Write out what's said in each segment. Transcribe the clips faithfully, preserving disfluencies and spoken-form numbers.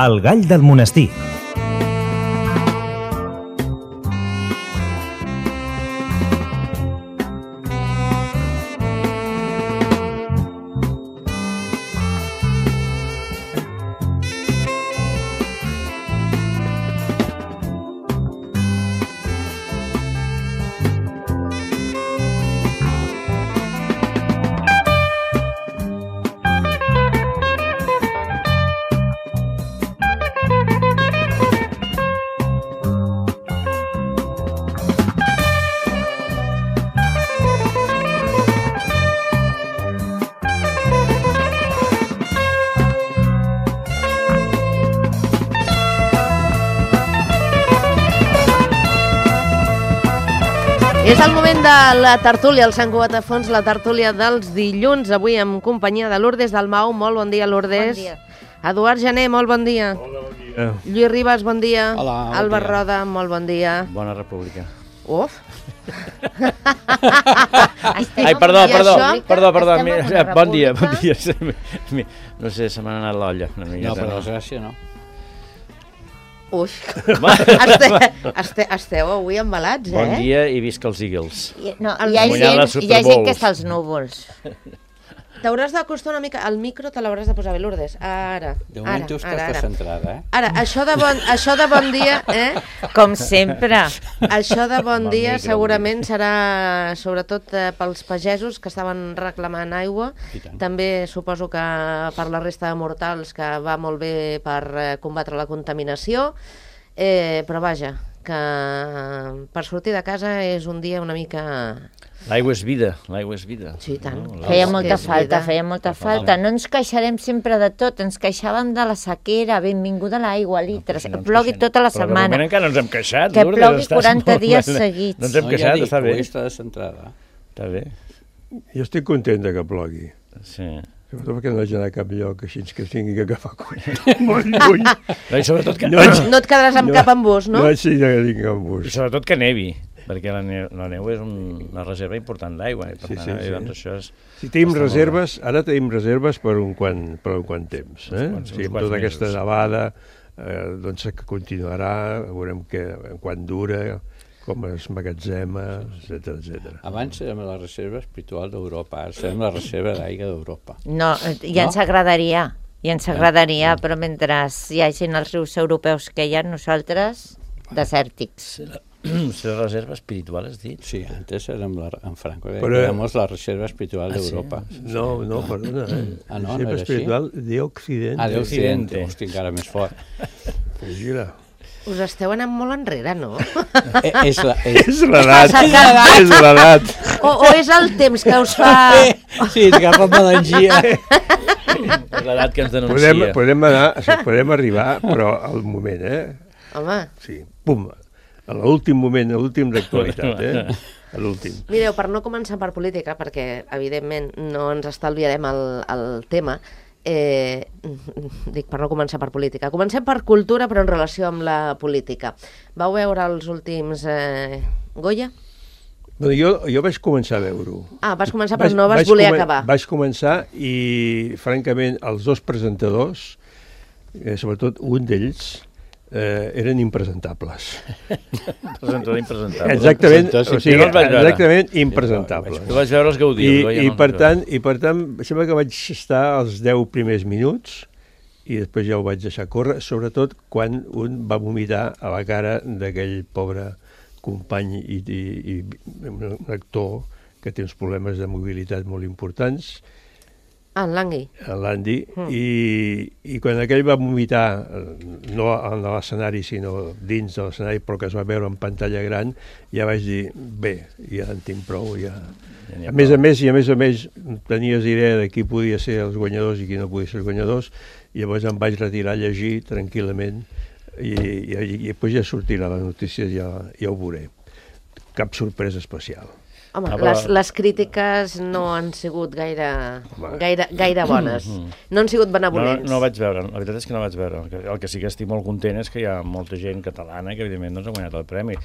El gall del monestir. És el moment de la tertúlia, el Sant Cugat a Fons, la tertúlia dels dilluns, avui en companyia de Lourdes Dalmau. Molt bon dia, Lourdes. Bon dia. Eduard Jané, molt bon dia. Hola, bon dia. Lluís Ribas, bon dia. Hola, bon Alba dia. Roda, molt bon dia. Bona república. Uf. Ai, perdó, I perdó, això? perdó, perdó. Estem en mi- una Bon dia, bon república. dia. No sé, se m'ha anat l'olla. una No, miqueta, per desgràcia no. Ui. Esteu, esteu, esteu avui embalats, eh? Bon dia i visca els Eagles. I, no, El hi, ha guanyar la gent, Super hi ha gent Bowls. que està als núvols. T'hauràs d'acostar una mica... El micro te l'hauràs de posar bé, Lourdes. Ara, De ara, moment tu ara, estàs ara. centrada, eh? Ara, això de bon, això de bon dia, eh? Com sempre. Això de bon Bon dia micro, segurament serà sobretot eh, pels pagesos que estaven reclamant aigua. I tant. També suposo que per la resta de mortals, que va molt bé per eh, combatre la contaminació. Eh, però vaja, que per sortir de casa és un dia una mica... L'aigua és vida, l'aigua és vida. Sí, i tant. No? Feia És molta que és falta, vida. feia molta Fa falta. falta. No ens queixarem sempre de tot, ens queixàvem de la sequera, benvinguda l'aigua, litres, Si no que ens plogui queixem. tota la Però de setmana. moment encara no ens hem queixat, Que Lourdes, plogui estàs quaranta molt dies bé. seguits. No ens hem No, ja queixat, dic, està bé. avui està centrada. Està bé, Jo estic content de que plogui, sí. sobretot perquè no haig d'anar a cap lloc així que tingui que agafar cotxe molt lluny. No, I sobretot que, No haig, No et quedaràs amb No. cap embús, no? no haig d'anar a cap I bus. sobretot que nevi, perquè la neu, la neu és un, una reserva important d'aigua. I per Sí, tant, sí, eh, sí. doncs això és... Si tenim Està molt reserves, ara tenim reserves per un quant, per un quant temps. Eh? quants- O sigui, uns amb quants tota aquesta mesos. nevada, eh, doncs que continuarà, veurem que, quan dura, com es magatzema, etcètera, etcètera. Abans érem la reserva espiritual d'Europa, ara serem la reserva d'aigua d'Europa. No, ja ens No? agradaria, ja ens agradaria, però mentre hi hagin els rius europeus que hi ha, nosaltres, desèrtics. Ser la reserva espiritual, has dit? Sí, antes érem la, en Franco, Però- éramos la reserva espiritual Ah, sí? d'Europa. No, no, perdona. Eh? Ah, no, no Sempre era així? espiritual de Occidente. Ah, d'Occidente, Occidente. hosti, encara més fort. Pues mira, Us esteu anant molt enrere, no? Eh, és la, és... és l'edat, l'edat. és l'edat. O, o és el temps que us fa... Sí, et agafa melangia. És l'edat que ens denuncia. Podem, podem, anar, o sigui, podem arribar, però al moment, eh? Home, Sí, pum, a l'últim moment, a l'últim d'actualitat, eh? A l'últim. mireu, per no començar per política, perquè evidentment no ens estalviarem el, el tema, eh, dic per no començar per política, comencem per cultura però en relació amb la política. Vau veure els últims eh, Goya? Bueno, jo, jo vaig començar a veure-ho. Ah, vas començar però no vas voler acabar. Vaig començar i, francament, els dos presentadors, eh, sobretot un d'ells, eh, eren impresentables. Presentador impresentable. Exactament, presentador, sí, o sigui, jo no els vaig veure. exactament impresentables. Tu vas veure els I, Gaudí. jo ja i, no per els tant, I per tant, sembla que vaig estar els deu primers minuts i després ja ho vaig deixar córrer, sobretot quan un va vomitar a la cara d'aquell pobre company i, i, i un actor que té uns problemes de mobilitat molt importants, Ah, en Langui. l'Andy, Mm. i, i quan aquell va vomitar, eh, no en l'escenari, sinó dins de l'escenari, però que es va veure en pantalla gran, ja vaig dir, bé, ja en tinc prou, ja... Ja n'hi ha A més prou. a més, i a més a més, tenies idea de qui podia ser els guanyadors i qui no podia ser els guanyadors, i llavors em vaig retirar a llegir tranquil·lament, i, i, i, i després ja sortirà la notícia, ja, ja ho veuré. Cap sorpresa especial. Home, Ah, però- les, les crítiques no han sigut gaire, Home. gaire, gaire bones. No han sigut No, benevolents. no vaig veure, la veritat és que no vaig veure. El que, el que sí que estic molt content és que hi ha molta gent catalana que evidentment doncs, ha guanyat el premi.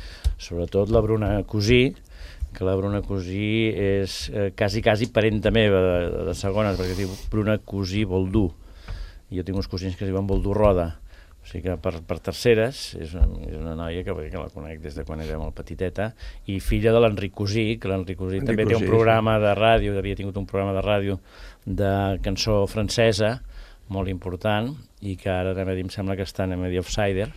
Sobretot la Bruna Cosí, que la Bruna Cosí és eh, quasi, quasi parenta meva de, de segones, perquè es diu Bruna Cosí Boldú. I jo tinc uns cosins que es diuen Boldú Roda. O sigui que per, per terceres és una, és una noia que, que la conec des de quan era molt petiteta, i filla de l'Enric Cosí, que l'Enric Cosí també té un programa de ràdio, havia tingut un programa de ràdio de cançó francesa molt important, i que ara també em sembla que està en The Offsider.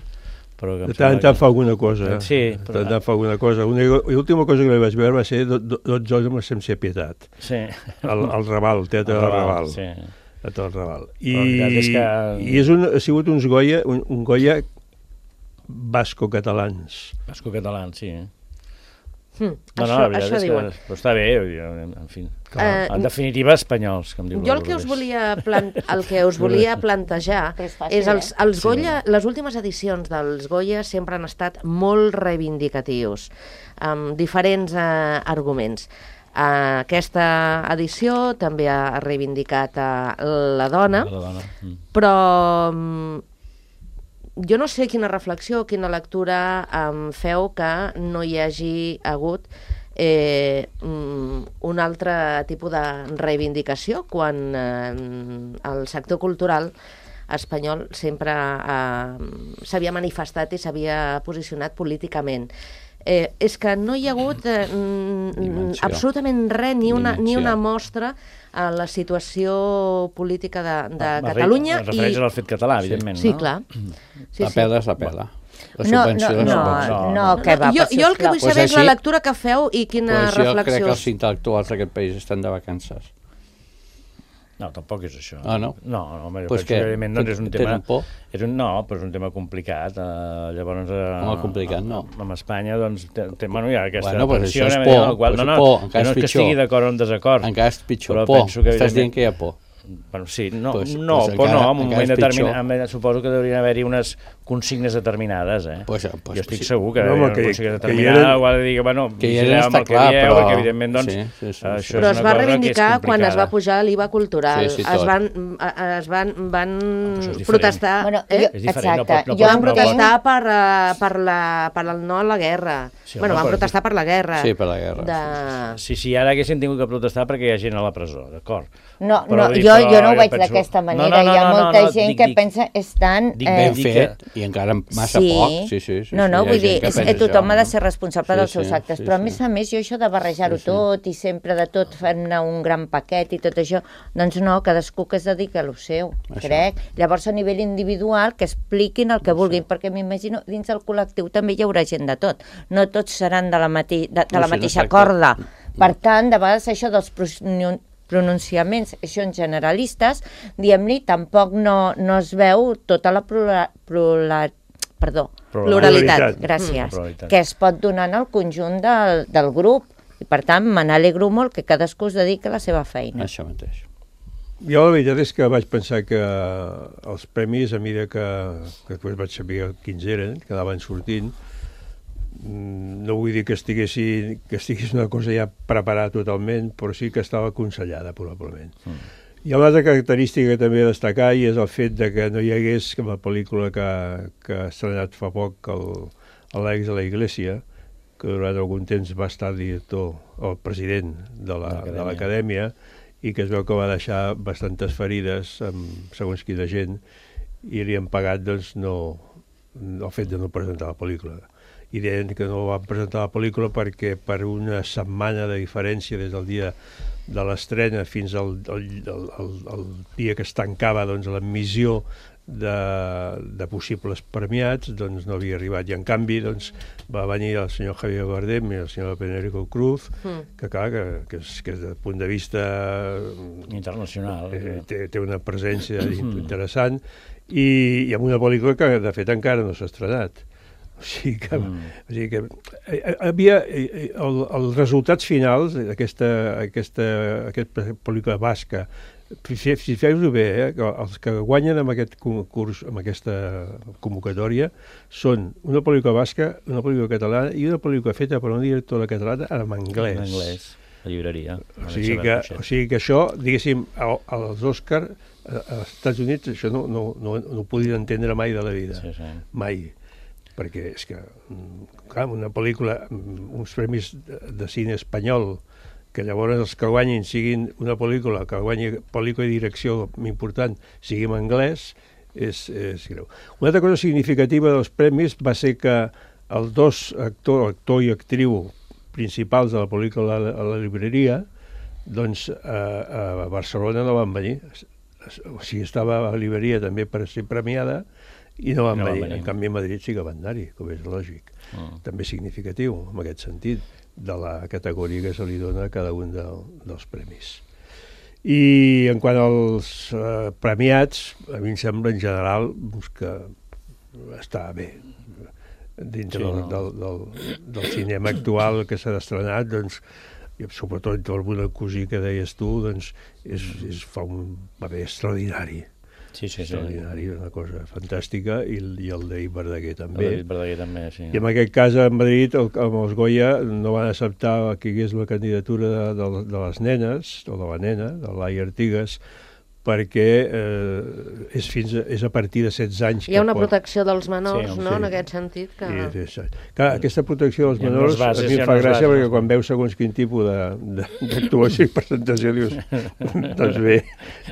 De tant en tant fa alguna cosa. Sí, però... De tant en tant fa alguna cosa. L'última cosa que li vaig veure va ser dotze homes sense pietat. Sí. Al, al Raval, el Teatre del Raval. Sí. A tot el Raval. I, és que... i és un, ha sigut uns Goya, un, un Goya basco-catalans. Basco-catalans, sí. Hmm, no, això, no, la veritat això és diuen. que però està bé, en fi. Uh, en definitiva, espanyols, com diu. Jo el que us volia, plant, el que us volia plantejar és, fàcil, és els, els sí. Goya, les últimes edicions dels Goya sempre han estat molt reivindicatius, amb diferents uh, arguments. Uh, aquesta edició també ha reivindicat uh, la dona, la dona. Mm. però um, jo no sé quina reflexió, quina lectura um, feu que no hi hagi hagut eh, um, un altre tipus de reivindicació quan eh, el sector cultural espanyol sempre eh, s'havia manifestat i s'havia posicionat políticament. Eh, és que no hi ha hagut eh, mm, absolutament res, ni una, ni una mostra a la situació política de, de ah, Catalunya. Es refereix i... al fet català, evidentment, sí, no? Sí, clar. Sí, la pela és la pela. La no, subvenció no, de no, subvenció. no, no, que va, jo, jo el que vull pues saber així, és la lectura que feu i quina pues reflexió... Jo crec que els intel·lectuals d'aquest país estan de vacances. No, tampoc és això. Ah, no? No, no home, pues que, evidentment, doncs és un tema... por? És un, no, però és un tema complicat. Uh, llavors, uh, Home, complicat, no. Amb Espanya, doncs, té, té, bueno, hi ha aquesta bueno, pues tensió... això és por, no, qual, pues no, no, por, encara no és és que pitjor. estigui d'acord o en desacord. Encara és pitjor, però por. que, Estàs dient que hi ha por. Bueno, sí, no, pues, no, pues por encara, no, en un moment determinat, pitjor. suposo que deurien haver-hi unes consignes determinades, eh? Pues, pues, jo estic sí. segur que no, no, que, consignes que determinades, eren, o ha de dir que, bueno, que hi eren està el clar, que dieu, però... que evidentment, doncs, sí, sí, sí, això sí. Però és es una va cosa reivindicar que és quan es va complicada. pujar l'I V A cultural, Sí, sí, es tot. van, es van, van és protestar, Bueno, eh? jo, És diferent, no exacte, pot- no jo pot- van no pot- protestar per, uh, per, la, per el no a la guerra. Sí, bueno, home, van però- protestar per la guerra. Sí, per la guerra. De... Sí, sí, ara haguessin tingut que protestar perquè hi ha gent a la presó, d'acord. No, Però no, dic, jo, però jo no ho jo veig penso- d'aquesta No, manera. no, no, Hi ha no, molta no, gent dic- que dic- pensa estan... dic eh, Ben dic fet, i encara massa sí. poc. Sí, sí, sí, no, no, sí, hi ha vull dir, gent que és, pensa eh, tothom això. ha de ser responsable Sí, dels seus sí, actes, sí, però a sí. més a més jo això de barrejar-ho Sí, sí. tot i sempre de tot fer-ne un gran paquet i tot això, doncs no, cadascú que es dedica a lo seu, Això. crec. Llavors a nivell individual que expliquin el que vulguin, perquè m'imagino dins del col·lectiu també hi haurà gent de tot. No tots seran de la, mati de, de No, la sí, mateixa exacte. corda. Per tant, de vegades això dels pronunciaments això en generalistes, diguem-li, tampoc no, no es veu tota la plura, plura, perdó, pluralitat, Pluralitat. gràcies, Mm. Pluralitat. que es pot donar en el conjunt del, del grup. I per tant, me n'alegro molt que cadascú es dediqui a la seva feina. Això mateix. Jo la veritat és que vaig pensar que els premis, a mesura que, que després vaig saber quins eren, que anaven sortint, no vull dir que estiguessin, que estigués una cosa ja preparada totalment, però sí que estava aconsellada, probablement. Mm. Hi ha una altra característica que també he de destacar, i és el fet de que no hi hagués, com la pel·lícula que, que ha estrenat fa poc, el, l'Àlex de la Iglesia, que durant algun temps va estar director, el president de l'Acadèmia, i que es veu que va deixar bastantes ferides amb segons quina gent, i li han pagat doncs, no, el fet de no presentar la pel·lícula. I deien que no van presentar la pel·lícula perquè per una setmana de diferència des del dia de l'estrena fins al, al, al, al, al dia que es tancava doncs, l'admissió de, de possibles premiats, doncs no havia arribat. I en canvi doncs, va venir el senyor Javier Bardem i el senyor Penélope Cruz, mm. que clar, que, que, és, que des del punt de vista internacional, eh, té, té una presència interessant, i, i amb una pel·lícula que de fet encara no s'ha estrenat. O sigui que, mm. o sigui que eh, havia eh, el, els resultats finals d'aquesta aquesta, aquesta pel·lícula basca, si, si feu-ho bé, eh, els que guanyen amb aquest concurs, amb aquesta convocatòria, són una pel·lícula basca, una pel·lícula catalana i una pel·lícula feta per una directora catalana en anglès. En anglès, la llibreria. O sigui, que, o sigui que això, diguéssim, als Òscar, als Estats Units, això no, no, no, no ho podien entendre mai de la vida. Sí, sí. Mai. Perquè és que, clar, una pel·lícula, uns premis de, de cine espanyol, que llavors els que guanyin siguin una pel·lícula, que guanyi pel·lícula i direcció important, sigui en anglès, és, és greu. Una altra cosa significativa dels premis va ser que els dos actor, actor i actriu principals de la pel·lícula a la, a la llibreria, doncs a, a Barcelona no van venir. O sigui, estava a la llibreria també per ser premiada i no van no venir. venir. En canvi, a Madrid sí que van anar-hi, com és lògic. Mm. També significatiu, en aquest sentit, de la categoria que se li dona a cada un de, dels premis. I en quant als eh, premiats, a mi em sembla en general que està bé. Dintre sí, no? del, del, del cinema actual que s'ha estrenat, doncs, i sobretot el Bruna Cosí que deies tu, doncs, és, és, fa un paper extraordinari. Sí, sí, extraordinari, sí. Una cosa fantàstica, i, i el David Verdaguer també. El David Verdaguer també, sí. I en aquest cas a Madrid, el, amb els Goya, no van acceptar que hi hagués la candidatura de, de, de les nenes, o de la nena, de Laia Artigas, perquè eh, és, fins a, és a partir de setze anys... Hi ha una pot... protecció dels menors, sí, no?, sí. en aquest sentit. Que... Sí, sí, sí. Clar, aquesta protecció dels menors bases, a mi em fa gràcia bases. Perquè quan veus segons quin tipus d'actuació i presentació dius, doncs bé,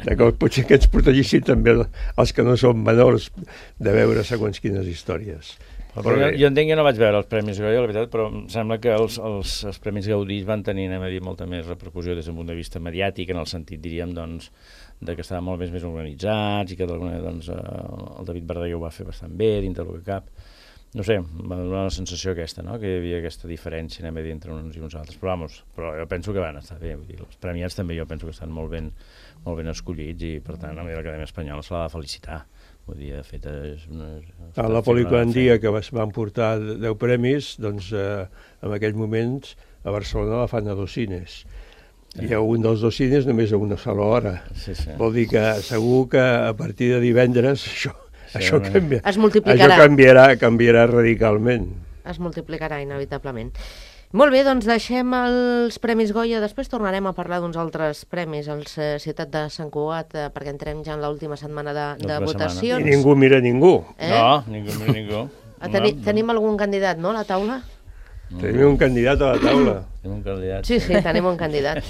que potser que ens protegissin també els que no són menors de veure segons quines històries. Però jo, jo entenc que no vaig veure els Premis Goya, la veritat, però em sembla que els, els, els Premis Gaudí van tenir, anem a dir, molta més repercussió des del punt de vista mediàtic, en el sentit, diríem, doncs, de que estaven molt més, més organitzats i que d'alguna manera doncs, el David Verdaguer ho va fer bastant bé, dintre del que cap. No sé, va donar la sensació aquesta, no?, que hi havia aquesta diferència, anem a dir, entre uns i uns altres. Però, vamos, però jo penso que van estar bé. Vull dir, els premiats també jo penso que estan molt ben, molt ben escollits i, per tant, a mi l'Acadèmia Espanyola se l'ha de felicitar. Vull dir, de fet, és una... A la pel·lícula en dia que van portar deu premis, doncs, eh, en aquells moments a Barcelona la fan a dos cines. Hi ha un dels dos cines només a una sola hora. Sí, sí. Vol dir que segur que a partir de divendres això, sí, això, canvia, es multiplicarà. Això canviarà, canviarà radicalment. Es multiplicarà inevitablement. Molt bé, doncs deixem els Premis Goya, després tornarem a parlar d'uns altres premis als eh, Ciutat de Sant Cugat, eh, perquè entrem ja en l'última setmana de, de votacions. I ningú mira ningú. Eh? No, ningú mira ningú. Teni, no, tenim algun candidat, no, a la taula? Tenim un candidat a la taula. Tenim un candidat. Sí, sí, tenim un candidat.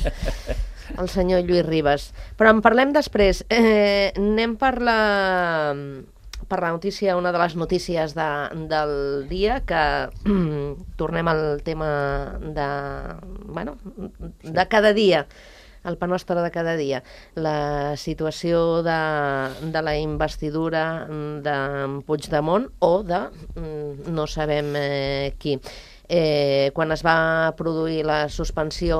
El senyor Lluís Ribas. Però en parlem després. Eh, anem per la, per la notícia, una de les notícies de, del dia, que tornem al tema de, bueno, de cada dia, el pa nostre de cada dia. La situació de, de la investidura de Puigdemont o de no sabem eh, qui. Eh, quan es va produir la suspensió,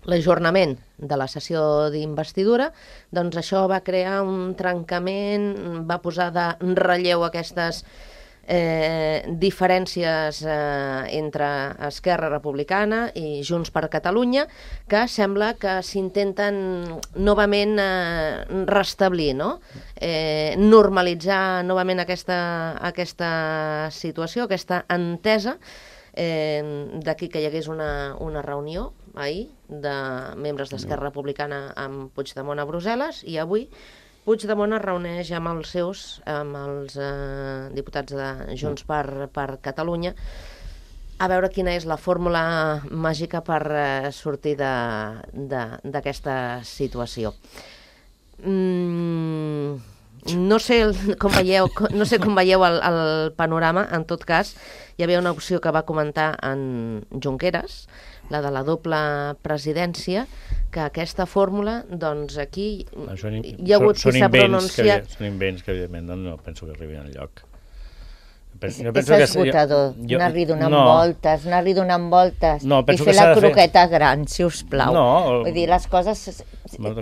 l'ajornament de la sessió d'investidura, doncs això va crear un trencament, va posar de relleu aquestes eh, diferències eh, entre Esquerra Republicana i Junts per Catalunya, que sembla que s'intenten novament eh, restablir, no? Eh, normalitzar novament aquesta, aquesta situació, aquesta entesa. Eh, d'aquí que hi hagués una, una reunió ahir de membres d'Esquerra Republicana amb Puigdemont a Brussel·les, i avui Puigdemont es reuneix amb els seus, amb els eh, diputats de Junts per, per Catalunya, a veure quina és la fórmula màgica per eh, sortir d'aquesta situació. Mm, no sé com veieu, no sé com veieu el, el panorama. En tot cas, hi havia una opció que va comentar en Junqueras, la de la doble presidència, que aquesta fórmula, doncs aquí Això, hi ha hagut qui s'ha pronunciat... Que, són invents que, evidentment, no, no penso que arribin enlloc. Penso, és és esgotador, jo, anar-hi donant no. voltes, anar-hi donant voltes no, i fer la croqueta fer... gran, si us plau. No, Vull dir, les coses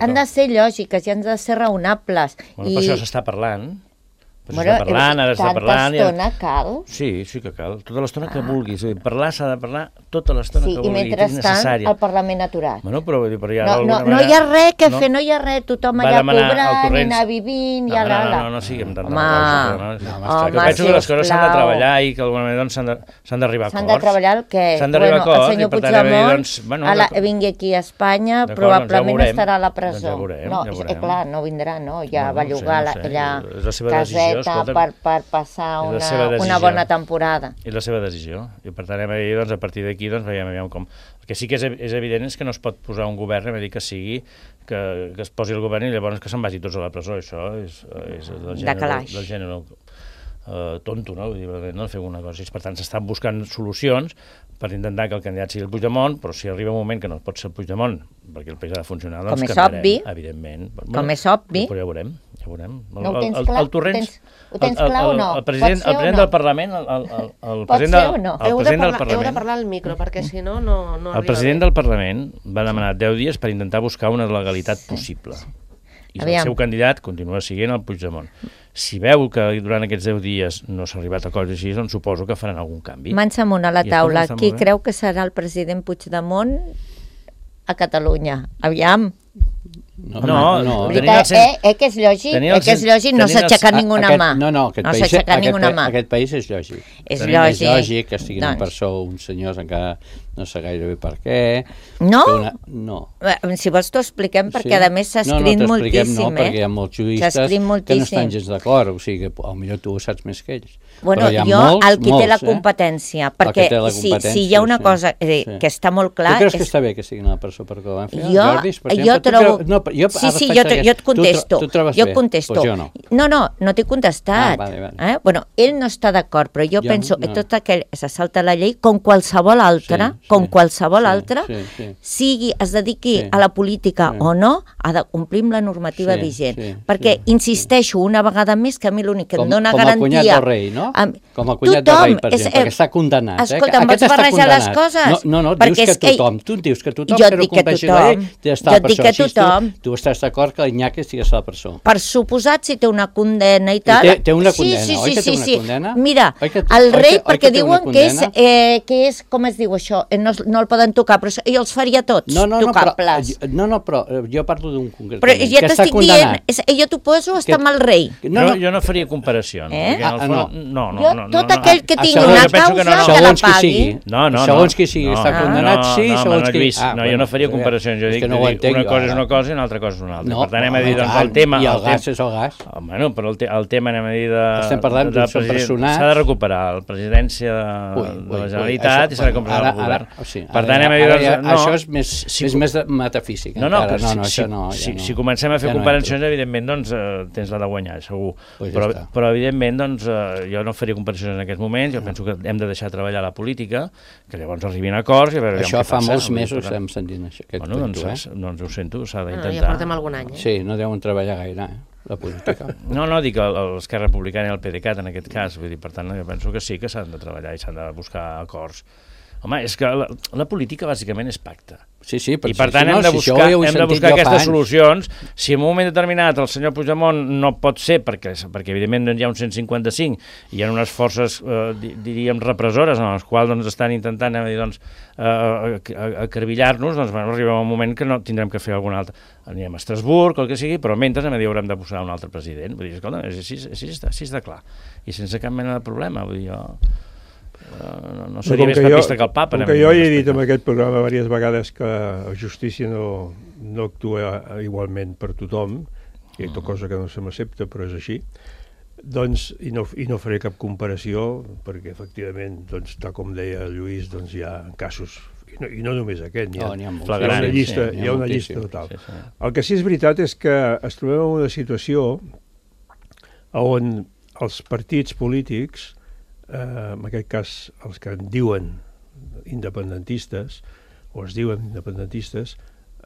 han de ser lògiques i han de ser raonables. Bueno, I... Per això s'està parlant. Bueno, s'està parlant, ara s'està parlant... Tanta estona cal? Sí, sí que cal. Tota l'estona ah. que vulguis. Parlar s'ha de parlar tota l'estona sí, que vulguis. I mentrestant el Parlament aturat. Bueno, però, però ja no, no, manera... no hi ha res que no. fer, no hi ha res. Tothom allà cobrant i anar vivint no, i a no, l'ala. No, no, no siguem tan... Home, no, no, home, penso que les coses s'han de treballar i que d'alguna manera s'han d'arribar a acords. S'han de treballar el què? S'han d'arribar a acords. El senyor Puigdemont vingui aquí a Espanya, probablement estarà a la presó. No, clar, no vindrà, no? Ja va llogar aquella caseta escolta, per, per passar una, una bona temporada. És la seva decisió. I per tant, doncs, a partir d'aquí doncs, veiem, veiem com... El que sí que és, és evident és que no es pot posar un govern, a dir que sigui, que, que es posi el govern i llavors que se'n vagi tots a la presó. Això és, és del gènere, del gènere uh, tonto, no? Vull dir, no fer una cosa. Per tant, s'estan buscant solucions per intentar que el candidat sigui el Puigdemont, però si arriba un moment que no pot ser el Puigdemont, perquè el país ha de funcionar, doncs com és canviarem, obvi, evidentment. Com bueno, és obvi. Però ja ho veurem. Ja ho veurem. No ho tens clar? El, el, el Torrents, ho tens, ho tens clar o no? El president, el president no? del Parlament... El, el, el, el Pot president ser o no? El heu, president de del parlar, Parlament, heu de parlar al micro, perquè si no, no, no el president del Parlament va demanar deu dies per intentar buscar una legalitat possible. I Aviam. El seu candidat continua siguent el Puigdemont. Si veu que durant aquests deu dies no s'ha arribat a coses així, doncs suposo que faran algun canvi. Mans amunt a la taula. Qui creu que serà el president Puigdemont a Catalunya? Aviam. No, no, no. Veritat, eh, eh, que és lògic, eh, que és lògic, no s'ha aixecat ninguna aquest, mà. No, no, aquest, no país, aquest, ninguna mà. aquest país és lògic. És lògic. És lògic que estiguin doncs. en persó uns senyors encara no sé gaire bé per què. No? Una... No. Si vols t'ho expliquem, perquè sí. a més s'ha escrit no, no, moltíssim. No, perquè hi ha molts juristes que no estan gens d'acord, o sigui que potser tu ho saps més que ells. Bueno, jo, molts, el qui molts, té la competència, eh? perquè la si, competència, si hi ha una sí, cosa eh, sí. que està molt clar... Tu creus és... que està bé que siguin a la presó perquè ho van fer? Jo, Jordis, per jo trobo... Creu... No, jo, sí, sí, jo, jo et contesto. Tu, tu trobes jo bé? contesto. Pues jo no. No, no, no t'he contestat. Ah, vale, vale. Eh? Bueno, ell no està d'acord, però jo, jo penso no. que tot aquell se salta la llei com qualsevol altra, sí, com sí, qualsevol sí, altra, sí, sí. sigui, es dediqui sí. a la política sí. o no, ha de complir amb la normativa sí, vigent. Sí, perquè, sí, insisteixo, una vegada més, que a mi l'únic que com, em dona com garantia... Com el cunyat del rei, no? Amb... Com el cunyat tothom, del rei, per exemple, és, que està condemnat. Escolta, eh? em pots barrejar les coses? No, no, no dius que tothom. Tu dius que tothom jo que no dic que compleixi la llei té d'estar a la presó. Jo dic que tothom. Tu, tu estàs d'acord que l'Iñaki estigués a la presó. Per suposat, si té una condena i tal... Té, té una condena, sí, sí, oi que té sí, una sí. condena? Mira, que, el rei, oi que, perquè oi que diuen que és, eh, que és, com es diu això, eh, no, no el poden tocar, però ell els faria tots no, no, no, tocables. Però, no, no, però jo parlo d'un concret. Però ja t'estic dient, és, jo t'ho poso estar amb el rei. No, no, jo no faria comparacions. Eh? Ah, ah, no. No, no, jo, no, tot no, aquell que no, tingui no, una jo penso causa, que, no, no. que la Segons qui pagui. sigui. No, no, segons no. qui sigui, no, està condemnat, no, sí, no, segons no, qui... Ah, no, jo no faria comparacions, jo dic que no que entenc, una cosa és ara. una cosa i una altra cosa és una altra. No, per tant, anem a dir, doncs, tant, el tema... I el el gas tem... és el gas. Oh, bueno, però el, te el tema, anem a dir, de... Estem parlant d'un personat... S'ha de recuperar la presidència de, ui, de la ui, Generalitat ui, i s'ha de recuperar el govern. Ara, o sigui, per tant, anem a dir, ara, doncs, ja, no, això és més, si, és més de metafísic. No, no, encara. però no, no, si, això no, si, ja no. si comencem a fer ja comparacions, no evidentment, doncs, eh, tens la de guanyar, segur. Pues però, ja però, evidentment, doncs, eh, jo no faria comparacions en aquests moments, jo penso que hem de deixar treballar la política, que llavors arribin a acords i a veure això què passa. Això fa molts mesos estem sentint això, aquest bueno, doncs, cuento, eh? doncs ho sento, s'ha d'intentar. Ja portem algun any, eh? Sí, no deuen treballar gaire, eh? La política. No, no, dic l'Esquerra Republicana i el P D C A T en aquest cas, vull dir, per tant, jo penso que sí que s'han de treballar i s'han de buscar acords. Home, és que la, la política bàsicament és pacte. Sí, sí, I per tant si hem no, de si buscar, hem hem de buscar aquestes solucions. Si en un moment determinat el senyor Puigdemont no pot ser, perquè, perquè evidentment hi ha un cent cinquanta-cinc i hi ha unes forces, eh, diríem, repressores, en les quals doncs, estan intentant eh, doncs, eh, acarbillar-nos, doncs bueno, arriba un moment que no tindrem que fer alguna altra. Anirem a Estrasburg o el que sigui, però mentre anem a dir haurem de posar un altre president. Vull dir, escolta, és així, així, està, així està clar. I sense cap mena de problema. Vull dir, jo... No, no seria més papista que el papa. Com que jo he dit en aquest programa diverses vegades que la justícia no, no actua igualment per tothom, que és cosa que no se m'accepta, però és així, doncs, i no, i no faré cap comparació, perquè efectivament, doncs, tal com deia Lluís, doncs hi ha casos, i no, i no només aquest, hi ha, oh, hi ha, hi ha una llista, sí, hi ha una llista total. Sí, sí. El que sí és veritat és que es trobem en una situació on els partits polítics, Uh, en aquest cas els que en diuen independentistes o es diuen independentistes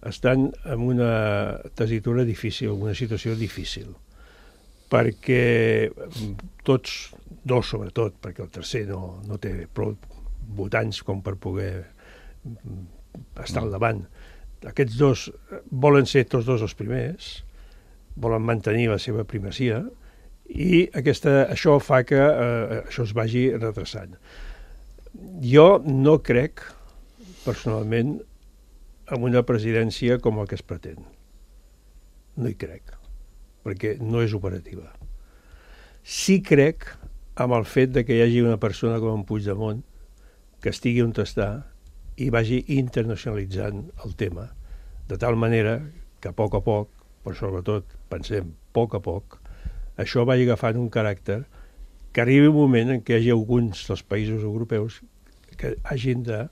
estan en una tessitura difícil, en una situació difícil, perquè tots, dos sobretot, perquè el tercer no, no té prou votants com per poder estar al davant, aquests dos volen ser tots dos els primers, volen mantenir la seva primacia, i aquesta, això fa que eh, això es vagi retrasant. Jo no crec, personalment, en una presidència com el que es pretén. No hi crec, perquè no és operativa. Sí crec en el fet de que hi hagi una persona com en Puigdemont que estigui on està i vagi internacionalitzant el tema, de tal manera que a poc a poc, però sobretot pensem a poc a poc, això va agafant un caràcter que arribi un moment en què hi hagi alguns dels països europeus que hagin de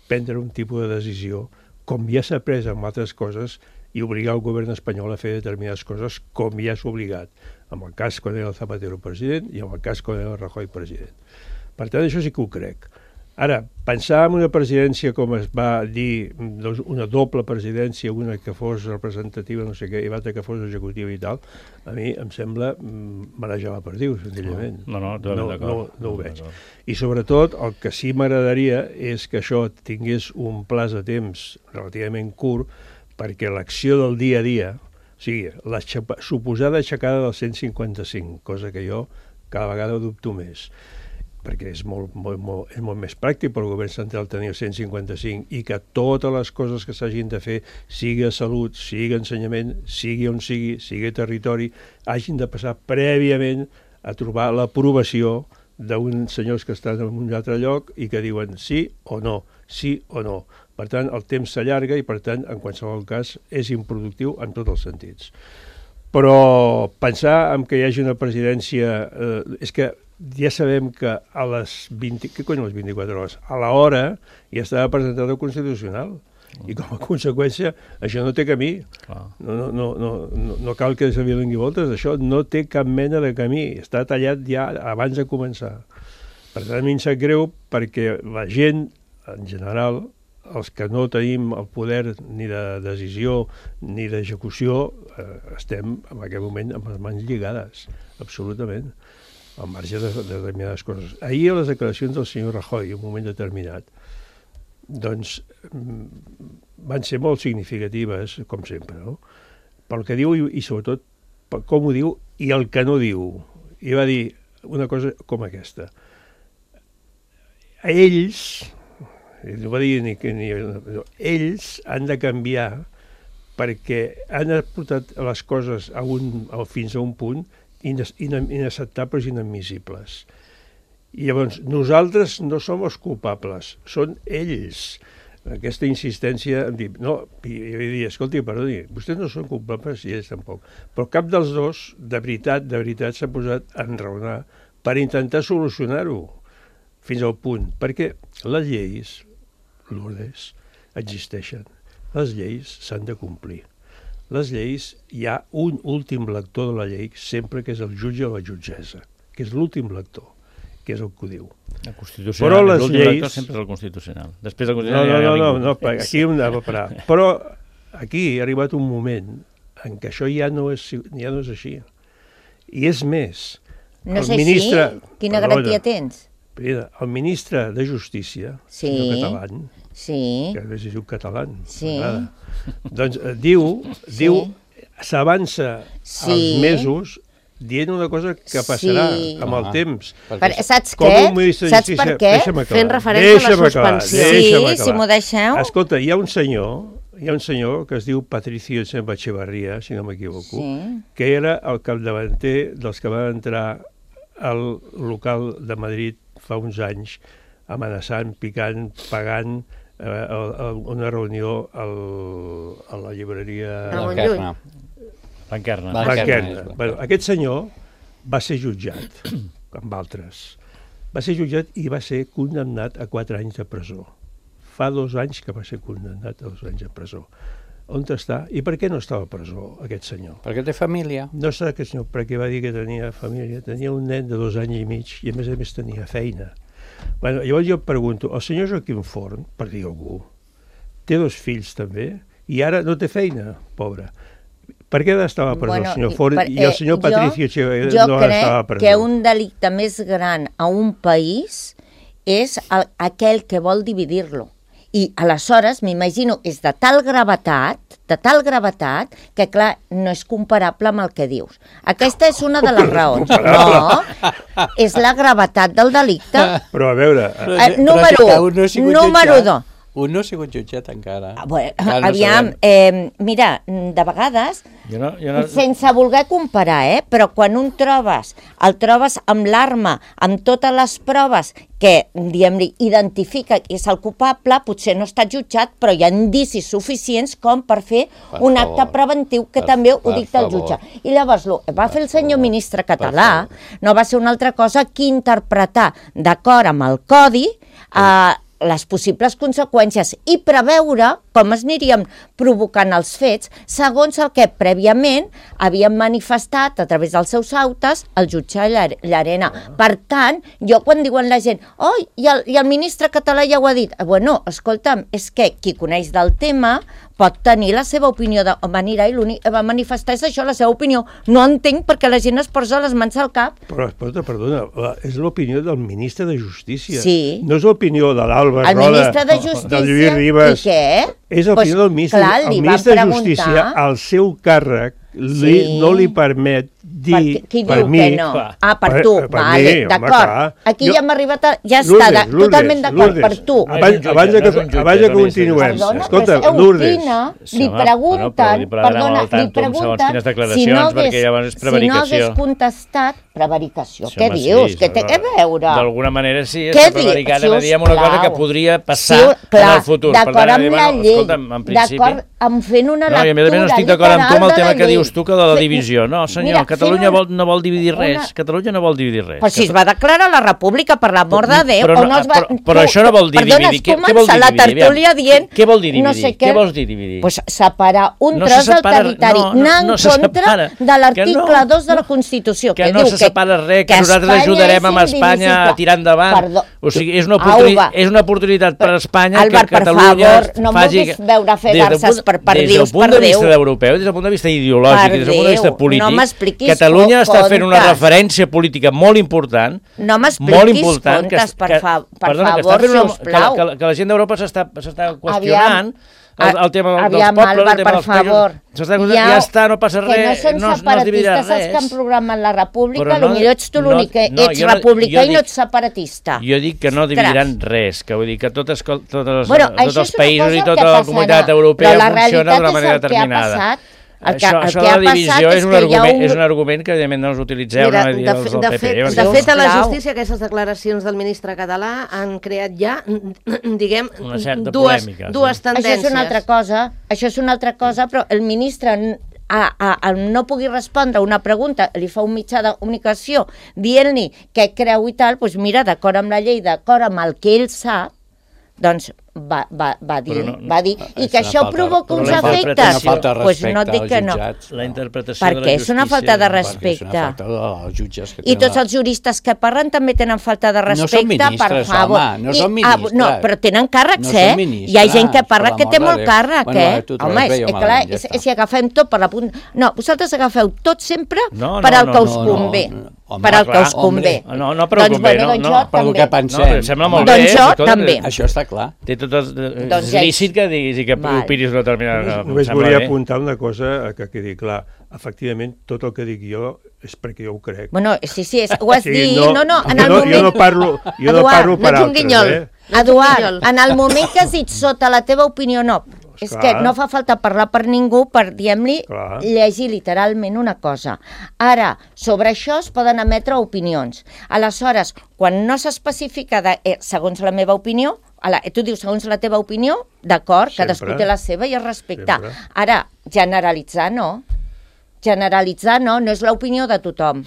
prendre un tipus de decisió, com ja s'ha pres amb altres coses, i obligar el govern espanyol a fer determinades coses com ja s'ha obligat, en el cas quan era el Zapatero president i en el cas quan era el Rajoy president. Per tant, això sí que ho crec. Ara, pensar en una presidència, com es va dir, doncs una doble presidència, una que fos representativa, no sé què, i l'altra que fos executiva i tal, a mi em sembla marejar la perdiu, senzillament. No, no, no, no, no, no ho veig. I sobretot, el que sí m'agradaria és que això tingués un plaç de temps relativament curt, perquè l'acció del dia a dia, o sigui, la suposada aixecada del cent cinquanta-cinc, cosa que jo cada vegada dubto més, perquè és molt, molt, molt, és molt més pràctic per al govern central tenir el cent cinquanta-cinc i que totes les coses que s'hagin de fer, sigui a salut, sigui a ensenyament, sigui on sigui, sigui a territori, hagin de passar prèviament a trobar l'aprovació d'uns senyors que estan en un altre lloc i que diuen sí o no, sí o no. Per tant, el temps s'allarga i, per tant, en qualsevol cas, és improductiu en tots els sentits. Però pensar en que hi hagi una presidència... Eh, és que ja sabem que a les vint... Què cony, a les vint-i-quatre hores? A l'hora ja estava presentat el Constitucional. I com a conseqüència, això no té camí. No, no, no, no, no cal que se li doni voltes. Això no té cap mena de camí. Està tallat ja abans de començar. Per tant, a mi em sap greu perquè la gent, en general, els que no tenim el poder ni de decisió ni d'execució, eh, estem en aquest moment amb les mans lligades, absolutament, al marge de, de determinades coses. Ahir, a les declaracions del senyor Rajoy, en un moment determinat, doncs van ser molt significatives, com sempre, no? Pel que diu i, i sobretot per com ho diu i el que no diu. I va dir una cosa com aquesta. A ells, no va dir ni que ni, no, ells han de canviar perquè han portat les coses a un, a, fins a un punt inacceptables i inadmissibles. I llavors, nosaltres no som els culpables, són ells. Aquesta insistència en dir, no, i, i dir, escolti, perdoni, vostès no són culpables i ells tampoc. Però cap dels dos, de veritat, de veritat, s'ha posat a enraonar per intentar solucionar-ho fins al punt. Perquè les lleis, Lourdes, existeixen. Les lleis s'han de complir. Les lleis, hi ha un últim lector de la llei, sempre que és el jutge o la jutgessa, que és l'últim lector, que és el que ho diu. El constitucional, però l'últim lleis... lector sempre és el constitucional. Després del constitucional no, no, no, no, no, no, no, aquí hem de parar. Però aquí ha arribat un moment en què això ja no és, ja no és així. I és més... No és ministre... així? Quina perdona, garantia tens? Mira, el ministre de Justícia, sí, senyor Catalán, sí, que a vegades es diu català, sí, doncs eh, diu, sí, diu s'avança sí, als mesos dient una cosa que passarà sí, amb el temps. Per, saps què? Saps per què? Fent referència a la suspensió. Sí, si m'ho deixeu. Escolta, hi ha un senyor, hi ha un senyor que es diu Patricio Echevarría, si no m'equivoco, sí, que era el capdavanter dels que van entrar al local de Madrid fa uns anys, amenaçant, picant, pagant eh, una reunió al, a la llibreria... Blanquerna. Blanquerna. Blanquerna. Bueno, aquest senyor va ser jutjat, amb altres. Va ser jutjat i va ser condemnat a quatre anys de presó. Fa dos anys que va ser condemnat a dos anys de presó. On està? I per què no estava a presó, aquest senyor? Perquè té família. No està aquest senyor, perquè va dir que tenia família. Tenia un nen de dos anys i mig i a més a més tenia feina. Bueno, llavors jo pregunto, el senyor Joaquim Forn, per dir algú, té dos fills també i ara no té feina, pobre. Per què ha d'estar a presó bueno, el senyor Forn i, per, eh, i el senyor Patricio Echevarría no ha d'estar a presó? Jo crec que un delicte més gran a un país és el, aquell que vol dividir-lo. I aleshores, m'imagino, és de tal gravetat, de tal gravetat, que clar, no és comparable amb el que dius. Aquesta és una de les raons. No, és la gravetat del delicte. Però a veure... Eh, número un, número dos. Un no ha sigut jutjat encara. Ah, bueno, aviam, eh, mira, de vegades Jo no, jo no... sense voler comparar, eh? Però quan un trobes, el trobes amb l'arma, amb totes les proves que, diguem-li, identifica que és el culpable, potser no està jutjat, però hi ha indicis suficients com per fer Per un favor. acte preventiu que Per- també ho per dicta el favor. jutge. I llavors, el que va fer el senyor favor. ministre Per català favor. no va ser una altra cosa que interpretar, d'acord amb el codi, eh, les possibles conseqüències i preveure com es anirien provocant els fets segons el que prèviament havien manifestat a través dels seus autes el jutge Llar- Llarena. Per tant, jo quan diuen la gent oh, i el, i el ministre català ja ho ha dit, bueno, escolta'm, és que qui coneix del tema pot tenir la seva opinió de manera i l'únic que va manifestar és això, la seva opinió. No entenc perquè la gent es posa les mans al cap. Però, escolta, perdona, la- és l'opinió del ministre de Justícia. Sí. No és l'opinió de l'Alba El Roda, ministre de Justícia... del Lluís Ribas. I què? És l'opinió Pues, del ministre. clar, li el van ministre de preguntar. Justícia, al seu càrrec, li, Sí. no li permet dir, Per, qui per diu mi... que no? clar. Ah, per Per- tu, per vale, mi, home, d'acord. clar. Aquí Jo- ja hem arribat a... Ja està, Lourdes, de, Lourdes, totalment d'acord, Lourdes. per tu. Ah, Abans, és un jutge, abans, de no és que, un jutge, abans de que Toni, sí, continuem, Perdona, escolta, però és Lourdes, opina, Sí, li home, pregunten, bueno, però li parlarem perdona, al li tanto amb segons pregunten quines si declaracions, no perquè hagués, llavors és si no prevaricació. hagués contestat, prevaricació, Sí, què home, dius? sí, Què té sí, que veure? D'alguna manera sí, Què està prevaricant, diu? a dir una cosa que podria passar Sí, clar, en el futur. Per d'acord tant, amb dir, la bueno, llei, escolta'm, en principi... d'acord amb fent una No, i a més a més no lectura estic d'acord amb tu amb el literal tema de la que llei. dius tu, que de la Fe- divisió. No, senyor, Mira, Catalunya fent vol, no vol dividir res. una- Catalunya no vol dividir res. Però si es va declarar la república, per l'amor de Déu, Però o no- no es va... però- però això no vol dir Perdona, dividir. has Què- què vol començat dir la dividir? tertúlia Aviam, dient... què vol dir dividir? No sé Què vols dir dividir? Pues separar un No tros se separa- del territori, no, no, anar en no se contra separa. de Que l'article no, dos de la no. Constitució, Que que, no diu se separa res, que nosaltres Espanya ajudarem és amb Espanya a indivisible. tirar endavant. Perdó. O sigui, és una, oportuni Auva. és una oportunitat per a Espanya Albert, que per Catalunya favor, no em faci... vulguis veure fer Des del garces punt- per Des perdius, del punt per de vista Déu. europeu, des del punt de vista ideològic, Per des del punt de vista Déu, polític, no m'expliquis Catalunya co- està fent una contes. referència política molt important, No m'expliquis molt important, contes, per que, fa- per perdona, que favor, està fent una- sisplau. que, que, que la gent d'Europa s'està s'està qüestionant el, el tema del, aviam, dels pobles, Albert, el tema per dels països. favor. S'està qüestionant, ja està, no passa res, Que no són no, no es dividirà separatistes els que han res. programat la república, Però no- potser ets tu no- l'únic que no, ets jo no- republicà jo i no dic- ets separatista. Jo dic que no dividiran res, que vull dir que totes, totes, Bueno, bueno, això tots els és una països cosa i que tota la passarà, comunitat però europea la funciona realitat d'una és manera el que ha determinada. passat. El que, això el això que de ha la divisió passat és és un, que hi ha argument, un... és un argument que evidentment no els utilitzeu, Mira, no dir de, els fe, del de, P P. fet, perquè- de fet, a la Sisplau. justícia aquestes declaracions del ministre català han creat ja, diguem, Una certa dues, polèmica, sí. dues tendències. Això és una altra cosa, això és una altra cosa, però el ministre a, a, a no pugui respondre una pregunta, li fa un mitjà de comunicació dient-li què creu i tal, doncs mira, d'acord amb la llei, d'acord amb el que ell sap, doncs va, va, va dir, Però no- va dir, i És que una això falta- provoca però uns la efectes, interpretació- Una falta de doncs respecte no et dic als que no. jutjats. La interpretació de la Perquè és una justícia... falta de Perquè és respecte. una falta dels jutges que I tenen tots la- els juristes que parlen també tenen falta de No són respecte, ministres, per favor. home, no I, són ah, ministres. no, però tenen càrrecs, No són eh? ministres, Hi ha gent que parla per que té l'amor molt de Déu. càrrec, Bueno, eh? va, tu t'ho Home, has és, veio és malament, clar, ja és, està. si agafem tot per la punta... No, vosaltres agafeu tot sempre No, no, per al no, que us no, convé. no, no. Home, Per al que clar, us convé. hombre. No, no, però doncs, convé, bueno, no, doncs no, jo per lo també. que pensem. No, però em sembla molt Doncs bé. jo escolta, també. Això està clar. Té tot el, és Doncs ja- lícit que diguis i que Val. opinis una determinada cosa. em Només sembla volia bé. apuntar una cosa que quedi clar. Efectivament, tot el que dic jo és perquè jo ho crec. Bueno, sí, sí, és, ho has O sigui, dit, no, no, no, en jo el no, moment... Jo no parlo, jo no Eduard, parlo per no ets un altres, guinyol. eh? Eduard, en el moment que has dit sota la teva opinió no, és Esclar. que no fa falta parlar per ningú per, diguem-li, Clar. llegir literalment una cosa. Ara, sobre això es poden emetre opinions. Aleshores, quan no s'especifica de, eh, segons la meva opinió, ala, tu dius segons la teva opinió, d'acord, cadascú Sempre. té la seva i es respecta. Sempre. Ara, generalitzar no. Generalitzar no, no és l'opinió de tothom.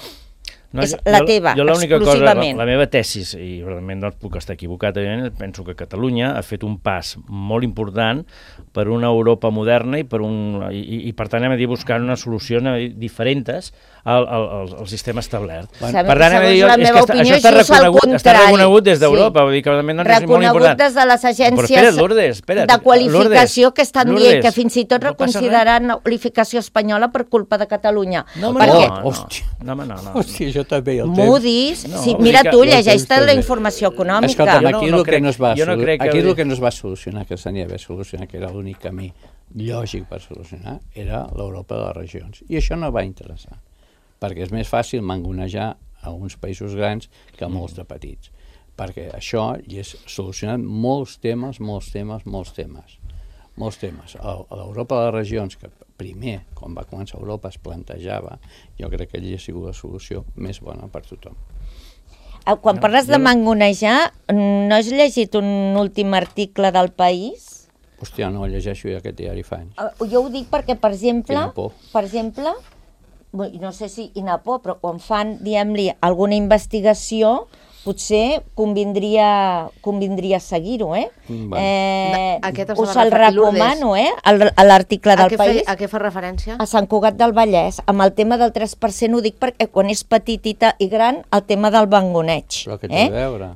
És jo- la jo- teva, jo l'única cosa, la, exclusivament. la meva tesis, i realment no puc estar equivocat, evidentment, penso que Catalunya ha fet un pas molt important per una Europa moderna i per, un, i, i, i per tant hem de dir buscar una solució diferents al, al, al, al sistema establert. Bueno, per tant, hem de dir, segons la és meva que està, opinió, això està just al reconegut, està contrari. reconegut des Sí. d'Europa, vull dir que realment doncs, és molt Reconegut important. des de les Però agències espera't, Lourdes, espera't, de qualificació Lourdes, que estan Lourdes, dient que fins i tot no passa reconsideraran la qualificació espanyola per culpa de Catalunya. No, home, Perquè no, no, Hòstia. no, home, no, no. Hòstia, això també el temps. Moody's, No, sí, vull mira dir que- tu, el llegeix-te temps la també. informació econòmica. Escolta'm, Jo no- aquí no el que crec- no es va, jo no solu- crec que- aquí el que no es va solucionar, que s'havia d'haver solucionat, que era l'únic camí lògic per solucionar, era l'Europa de les regions. I això no va interessar, perquè és més fàcil mangonejar a uns països grans que a molts de petits, perquè això hi és solucionant molts temes, molts temes, molts temes. Molts temes. A, a l'Europa de les regions, que primer, quan va començar Europa, es plantejava, jo crec que allí ha sigut la solució més bona per tothom. Quan parles de mangonejar, no has llegit un últim article del País? Hòstia, no, llegeixo ja aquest diari fa anys. Jo ho dic perquè, per exemple, Quina por. per exemple, no sé si quina por, però quan fan, diguem-li, alguna investigació, potser convindria, convindria seguir-ho, eh? Bueno. eh Aquest es us va el referir, recomano, eh? El- L'article A del què, País. fe, a què fa referència? A Sant Cugat del Vallès, amb el tema del tres per cent ho dic perquè quan és petitita i gran, el tema del mangoneig. Però què té eh? a veure?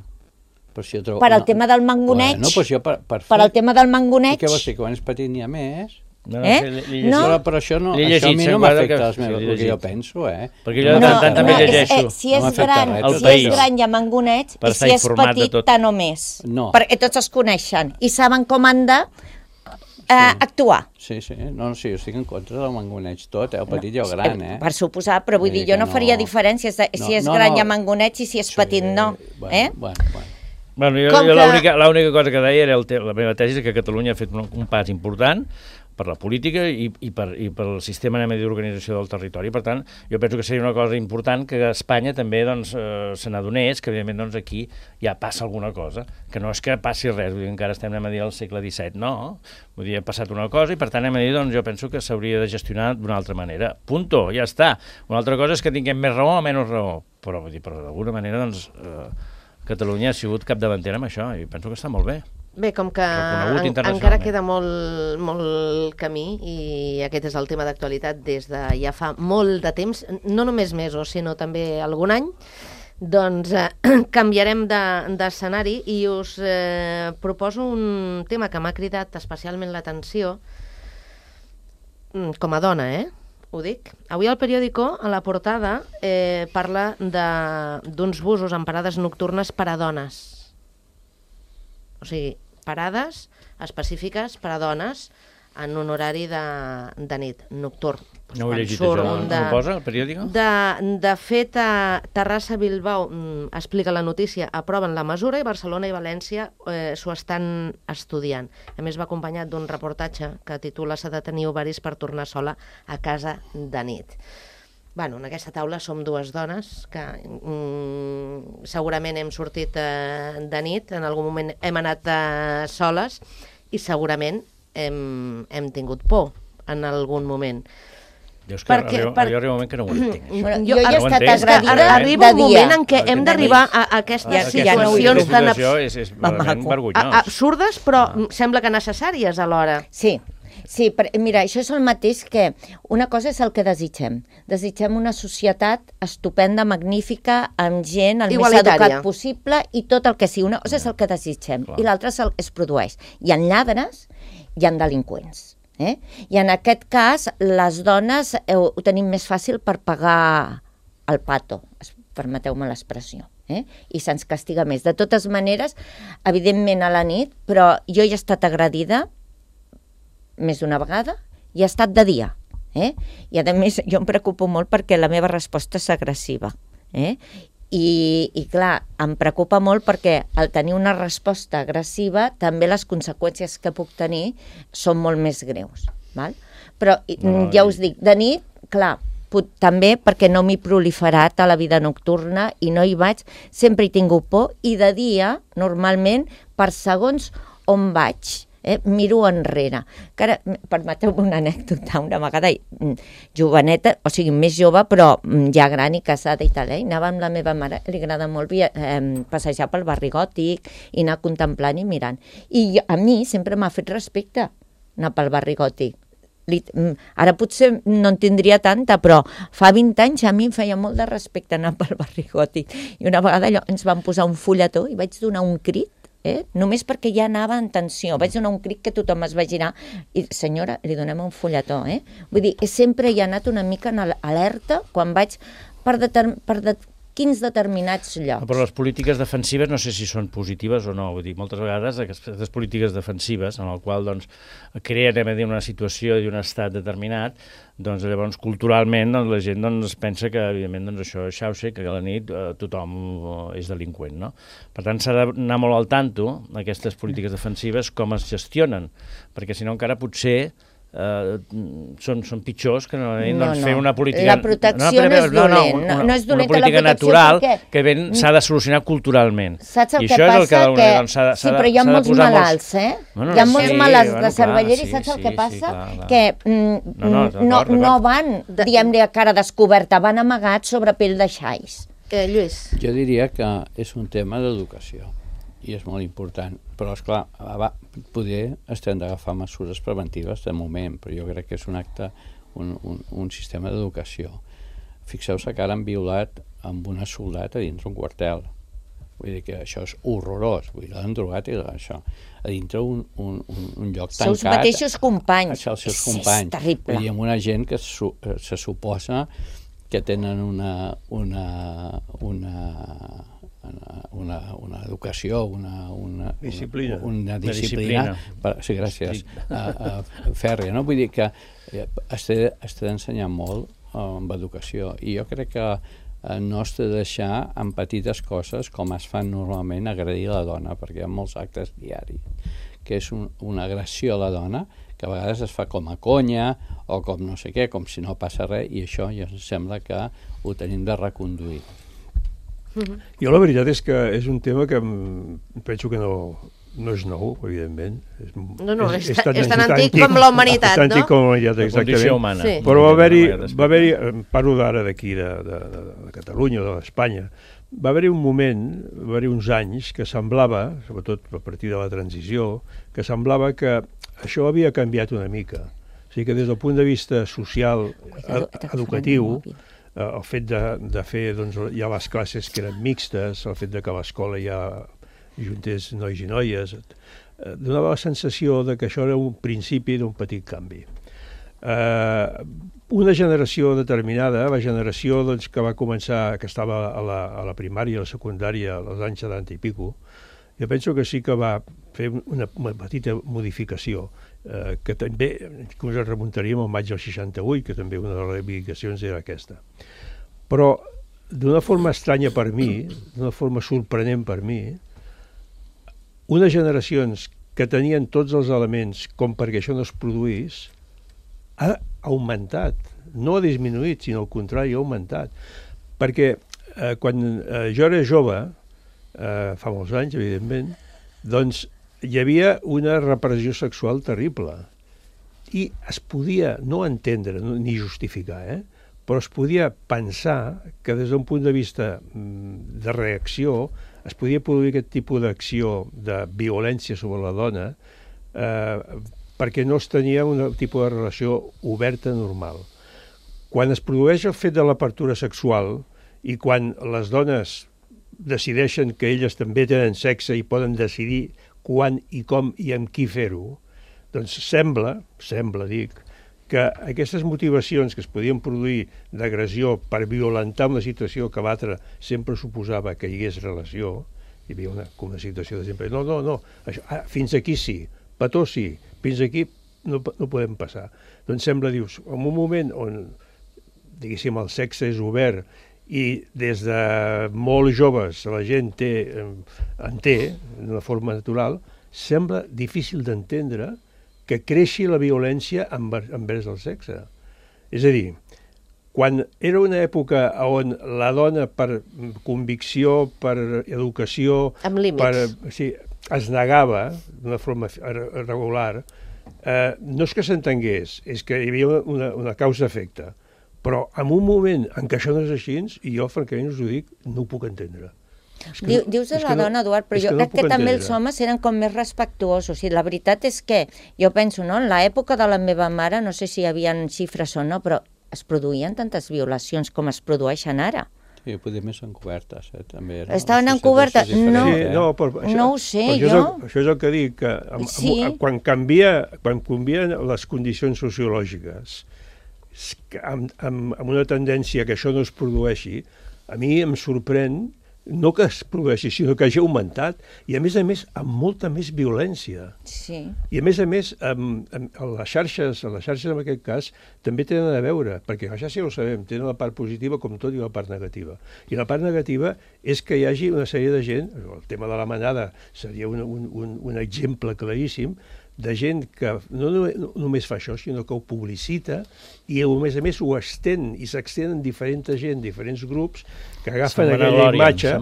Però si jo trobo... Per al no. tema del mangoneig, Bueno, doncs jo per, per, per al tema del I mangoneig, què vols dir, que quan és petit n'hi ha més? No, Eh? sí, l'he- l'he No. llegit. Però, però això, no, L'he això a llegit, mi se'n no guarda m'afecta que- les sí, meves, l'he el que jo llegit. penso, eh? Perquè jo de no, tant en tant també no, llegeixo. és, eh, si No és m'afecta gran, res, El si País. és gran hi ha mangoneig, Per i estar si és informat de petit, tot. tant o més. No. Perquè tots es coneixen i saben com han de eh, actuar. Sí, sí, no, no, sí, jo estic en contra del mangoneig tot, eh? El petit i el gran, eh? Per suposar, però vull Vull dir, dir jo que no faria no- diferències de, No, si és no, gran no. hi ha mangoneig i si és petit no. Bueno, Eh? bueno, bueno. Bueno, jo, Com jo que- l'única l'única cosa que deia era el te la meva tesi és que Catalunya ha fet un, un pas important per la política i, i, per, i pel sistema d'organització del territori. Per tant, jo penso que seria una cosa important que Espanya també doncs, eh, se n'adonés, que evidentment doncs, aquí ja passa alguna cosa, que no és que passi res, vull dir, encara estem anem a dir al segle disset, no. Vull dir, ha passat una cosa i per tant anem a dir, doncs, jo penso que s'hauria de gestionar d'una altra manera. Punto, ja està. Una altra cosa és que tinguem més raó o menys raó, però, vull dir, però d'alguna manera, doncs, eh, Catalunya ha sigut capdavantera amb això i penso que està molt bé. Bé, com que Reconegut en, internacionalment. encara queda molt, molt camí i aquest és el tema d'actualitat des de ja fa molt de temps, no només mesos, sinó també algun any, doncs eh, canviarem de- d'escenari i us eh, proposo un tema que m'ha cridat especialment l'atenció mm, com a dona, eh? Ho dic. Avui al periòdico, a la portada, eh, parla de- d'uns busos en parades nocturnes per a dones. O sigui, parades específiques per a dones en un horari de, de nit, nocturn. No ho he Quan llegit, surt això. un No ho posa, al periòdico? De, de fet, a Terrassa-Bilbao mm, explica la notícia, aproven la mesura i Barcelona i València eh, s'ho estan estudiant. A més, va acompanyat d'un reportatge que titula «S'ha de tenir ovaris per tornar sola a casa de nit». Bueno, en aquesta taula som dues dones que mm, segurament hem sortit eh, de nit, en algun moment hem anat eh, soles i segurament hem, hem tingut por en algun moment. Jo és que Perquè- arriba, per- arriba un moment que no ho entenc. això. Bueno, Jo- jo, ja he no ho estat entenc. agredida Ara arriba de un dia. moment en què hem De d'arribar nit. a, a aquestes Ja, Aquesta ja no ho situacions tan abs situació és, és Mamaco. realment a- vergonyós. absurdes, però ah. sembla que necessàries alhora. Sí, sí, per, mira, això és el mateix que una cosa és el que desitgem. Desitgem una societat estupenda, magnífica, amb gent el més Igualitària. educat possible i tot el que sigui. Una cosa és el que desitgem Clar. i l'altra és el que es produeix. Hi ha lladres, hi ha delinqüents. Eh? I en aquest cas, les dones eh, ho tenim més fàcil per pagar el pato, es- permeteu-me l'expressió. Eh? I se'ns castiga més. De totes maneres, evidentment a la nit, però jo he estat agredida més d'una vegada i ha estat de dia. Eh? I a més jo em preocupo molt perquè la meva resposta és agressiva. Eh? I, I clar, em preocupa molt perquè al tenir una resposta agressiva també les conseqüències que puc tenir són molt més greus. Val? Però No, ja i- us dic, de nit, clar, pot, també perquè no m'he proliferat a la vida nocturna i no hi vaig, sempre he tingut por i de dia, normalment, per segons on vaig, eh, miro enrere. Que ara, permeteu-me una anècdota, una vegada mm, joveneta, o sigui, més jove, però mm, ja gran i casada i tal, eh? Anava amb la meva mare, li agrada molt via, eh, passejar pel barri gòtic i anar contemplant i mirant. I jo, a mi sempre m'ha fet respecte anar pel barri gòtic. Li, mm, ara potser no en tindria tanta, però fa vint anys a mi em feia molt de respecte anar pel barri gòtic. I una vegada allò, ens van posar un fulletó i vaig donar un crit, eh? Només perquè ja anava en tensió. Vaig donar un crit que tothom es va girar i, senyora, li donem un fulletó. Eh? Vull dir, sempre hi ha anat una mica en alerta quan vaig per, determ per de quins determinats llocs. Però les polítiques defensives no sé si són positives o no. Vull dir, moltes vegades aquestes polítiques defensives en el qual doncs, creen a dir, una situació i un estat determinat, doncs llavors culturalment doncs, la gent doncs, pensa que evidentment doncs, això és xauxa, que a la nit eh, tothom eh, és delinqüent. No? Per tant s'ha d'anar molt al tanto aquestes polítiques defensives com es gestionen, perquè si no encara potser eh, són, són pitjors que no, No, doncs, no. fer una política... La protecció no és dolent, una, no és dolenta una política la protecció natural perquè- que ben s'ha de solucionar culturalment. Saps el I que això és passa? el que d'alguna Que... manera, doncs, s'ha de- Sí, s'ha de- però hi ha s'ha de molts posar molts- malalts, eh? Bueno, hi ha sí, molts malalts bueno, de cervellera clar, i saps sí, el que sí, passa? sí, clar, clar. Que mm, No, no, d'acord, no, d'acord. no van, diguem-ne, a cara descoberta, van amagats sobre pell de xais. Eh, Lluís. Jo diria que és un tema d'educació i és molt important, però esclar, va, poder estem d'agafar mesures preventives de moment, però jo crec que és un acte, un, un, un sistema d'educació. Fixeu-se que ara han violat amb una soldata a dintre un quartel. Vull dir que això és horrorós, vull dir, l'han drogat i això, a dintre un, un, un, un lloc Els tancat. seus mateixos companys. Els seus És- companys. És terrible. Vull dir, amb una gent que su, se suposa que tenen una, una, una, una, una educació, una, una Disciplina. Una, una Una disciplina, disciplina. per, sí, gràcies, uh, uh, fèrrea, no? Vull dir que eh, es té, es té d'ensenyar molt uh, amb educació, i jo crec que uh, no es té de deixar en petites coses com es fan normalment agredir la dona, perquè hi ha molts actes diaris, que és un, una agressió a la dona, que a vegades es fa com a conya o com no sé què, com si no passa res, i això ja em sembla que ho tenim de reconduir. Jo la veritat és que és un tema que em- penso que no, no és nou, evidentment. És, No, no, és ta- és tan antic com la humanitat, és tan antic no? com la humanitat, La condició exactament. humana. Sí. Però va haver-hi, Una manera va haver-hi, em parlo d'ara d'aquí, de, de, de, de Catalunya o d'Espanya, va haver-hi un moment, va haver-hi uns anys que semblava, sobretot a partir de la transició, que semblava que això havia canviat una mica. O sigui que des del punt de vista social, Cuidado, ed- que t'agafarem educatiu, el mòbil. eh, el fet de, de fer, doncs, hi ha les classes que eren mixtes, el fet de que a l'escola hi ha juntés nois i noies, eh, donava la sensació de que això era un principi d'un petit canvi. Eh, una generació determinada, la generació doncs, que va començar, que estava a la, a la primària, a la secundària, als anys setanta i pico, jo penso que sí que va fer una, una petita modificació, eh, que també, inclús ens remuntaríem al maig del seixanta-vuit, que també una de les reivindicacions era aquesta. Però, d'una forma estranya per mi, d'una forma sorprenent per mi, unes generacions que tenien tots els elements com perquè això no es produís, ha augmentat, no ha disminuït, sinó al contrari, ha augmentat. Perquè eh, quan eh, jo era jove, eh, fa molts anys, evidentment, doncs hi havia una repressió sexual terrible i es podia no entendre no, ni justificar, eh? però es podia pensar que des d'un punt de vista mm, de reacció es podia produir aquest tipus d'acció de violència sobre la dona eh, perquè no es tenia un tipus de relació oberta normal. Quan es produeix el fet de l'apertura sexual i quan les dones decideixen que elles també tenen sexe i poden decidir quan i com i amb qui fer-ho, doncs sembla, sembla, dic, que aquestes motivacions que es podien produir d'agressió per violentar una situació que l'altre sempre suposava que hi hagués relació, hi havia una, una situació de sempre, no, no, no, això, ah, fins aquí sí, petó sí, fins aquí no, no podem passar. Doncs sembla, dius, en un moment on, diguéssim, el sexe és obert i des de molt joves la gent té, en té d'una forma natural, sembla difícil d'entendre que creixi la violència envers el sexe. És a dir, quan era una època on la dona per convicció, per educació, Amb límits. per, sí, es negava d'una forma regular, eh, no és que s'entengués, és que hi havia una, una causa-efecte. Però en un moment en què això no és així, i jo francament us ho dic, no ho puc entendre. És Diu, dius de la no, dona, Eduard, però jo no crec que també els entendre. homes eren com més respectuosos. I la veritat és que, jo penso, no, en l'època de la meva mare, no sé si hi havia xifres o no, però es produïen tantes violacions com es produeixen ara. Sí, poder més encobertes, eh, també. No? Estaven Les encobertes? societats és No. diferent, Sí, eh? no, però això, No ho sé, però això jo. És el, això és el que dic, que amb, Sí. amb, quan, canvia, quan canvien les condicions sociològiques, amb, amb, amb una tendència que això no es produeixi, a mi em sorprèn no que es produeixi, sinó que hagi augmentat, i a més a més amb molta més violència. Sí. I a més a més, amb, amb, amb les xarxes, les xarxes en aquest cas, també tenen a veure, perquè les xarxes ja ho sabem, tenen la part positiva com tot i la part negativa. I la part negativa és que hi hagi una sèrie de gent, el tema de la manada seria un, un, un, un exemple claríssim, de gent que no, no, no només fa això, sinó que ho publicita i a més a més ho estén i s'extén en diferent gent, diferents grups que agafen aquella imatge,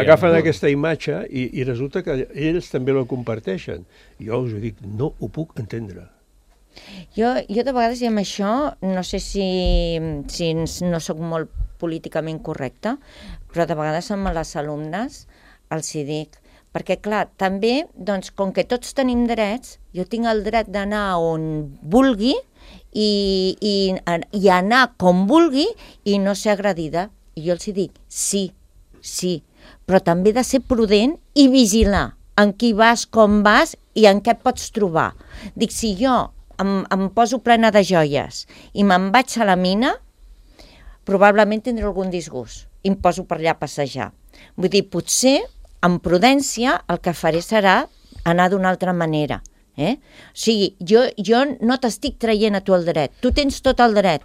agafen aquesta imatge i, i resulta que ells també la comparteixen. Jo us ho dic, no ho puc entendre. Jo, jo de vegades i amb això, no sé si, si no sóc molt políticament correcta, però de vegades amb les alumnes els hi dic, perquè, clar, també, doncs, com que tots tenim drets, jo tinc el dret d'anar on vulgui i, i, i anar com vulgui i no ser agredida. I jo els dic, sí, sí, però també he de ser prudent i vigilar en qui vas, com vas i en què pots trobar. Dic, si jo em, em poso plena de joies i me'n vaig a la mina, probablement tindré algun disgust i em poso per allà a passejar. Vull dir, potser amb prudència el que faré serà anar d'una altra manera. Eh? O sigui, jo, jo no t'estic traient a tu el dret, tu tens tot el dret,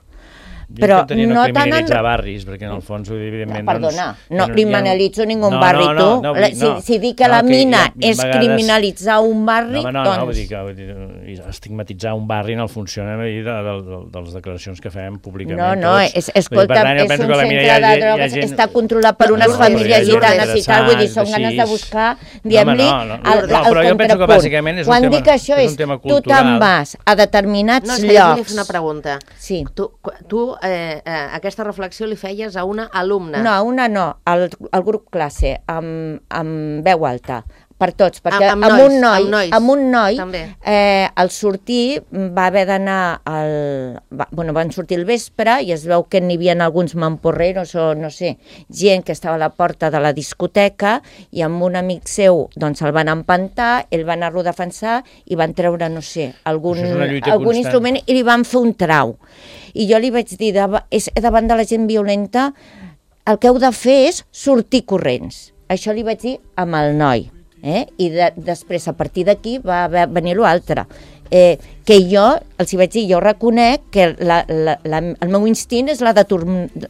jo però intentaria no, no criminalitzar en... barris, perquè en el fons, evidentment... No, perdona, doncs, no ja criminalitzo ja... ningú no, barri, no, no, tu. no, no, si, si dic que no, la que mina ja, ja és vegades... criminalitzar un barri, no, no, doncs... No, vull dir que vull dir, estigmatitzar un barri en el funcionament de, de, de, de les declaracions que fem públicament. No, no, tots. és, escolta, dir, és un centre de drogues, gent... està controlat per unes no, famílies gitanes i tal, vull dir, són ganes de buscar, diguem-li, no, no, no, el, no, el contrapunt. Quan dic això és, tu te'n vas a determinats llocs... No, és que jo li fa una pregunta. Sí. Tu, tu eh, eh, aquesta reflexió li feies a una alumna. No, a una no, al, al grup classe, amb, amb veu alta, per tots, perquè amb, amb, amb, nois, un noi, amb, nois, amb un noi, eh, al sortir va haver d'anar, al, va, bueno, van sortir al vespre i es veu que n'hi havia alguns mamporreros o no sé, gent que estava a la porta de la discoteca i amb un amic seu doncs el van empantar, ell va anar-lo a defensar i van treure, no sé, algun, algun instrument i li van fer un trau. I jo li vaig dir, davant de la gent violenta, el que heu de fer és sortir corrents. Això li vaig dir amb el noi. Eh? I de, després, a partir d'aquí, va venir l'altre. Eh, que jo, els hi vaig dir, jo reconec que la, la, la, el meu instint és la de,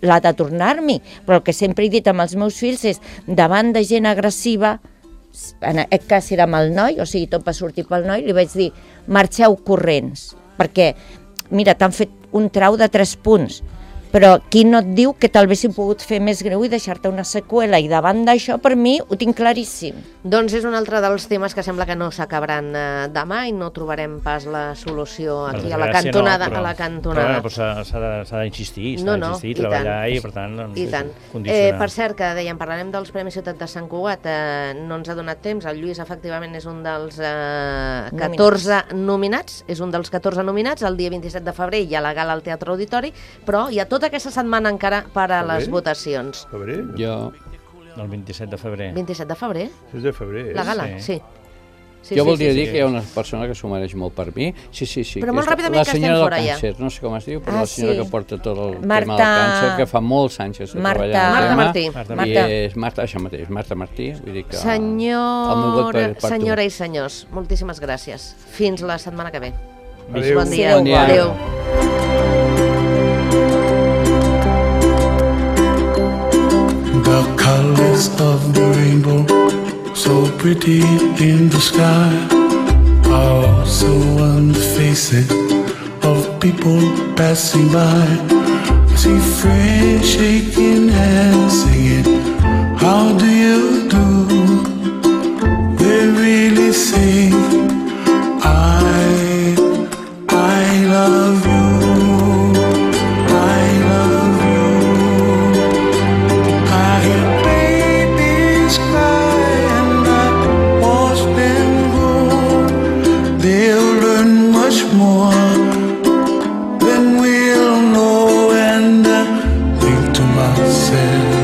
la de tornar-m'hi, però el que sempre he dit amb els meus fills és, davant de gent agressiva, en aquest cas era amb el noi, o sigui, tot va sortir pel noi, li vaig dir, marxeu corrents, perquè, mira, t'han fet un trau de tres punts, però qui no et diu que tal vez s'hi pogut fer més greu i deixar-te una seqüela, i davant d'això, per mi, ho tinc claríssim. Doncs és un altre dels temes que sembla que no s'acabaran eh, demà i no trobarem pas la solució aquí a la cantonada. No, però, a la cantonada. Però, però s'ha d'insistir, s'ha no, no, d'insistir, i treballar tant. i, per tant, doncs, I tant. condicionar. Eh, per cert, que dèiem, parlarem dels Premis Ciutat de Sant Cugat, eh, no ens ha donat temps, el Lluís efectivament és un dels eh, catorze nominats, és un dels catorze nominats, el dia vint-i-set de febrer hi ha la gala al Teatre Auditori, però hi ha tota aquesta setmana encara per a les votacions. Febrer? Jo... El vint-i-set de febrer. vint-i-set de febrer? És de febrer, eh? La gala, sí. Sí, jo sí, voldria sí, dir sí. que hi ha una persona que s'ho mereix molt per mi. Sí, sí, sí. Però molt ràpidament que estem fora ja. Càncer, no sé com es diu, però ah, la senyora sí. que porta tot el Marta... tema del càncer, que fa molts anys que està Marta... treballant. Marta Martí. Marta. Marta. I és Marta, això mateix, Marta Martí. Vull dir que Senyor... el meu vot per, per Senyora i senyors, moltíssimes gràcies. Fins la setmana que ve. Adéu. Bon dia. Bon dia. Adéu. The colors of the rainbow, so pretty in the sky, are also on the faces of people passing by. I see friends shaking hands, singing, how do you do? They really say, I, I love you. More than we'll know, and I think to myself,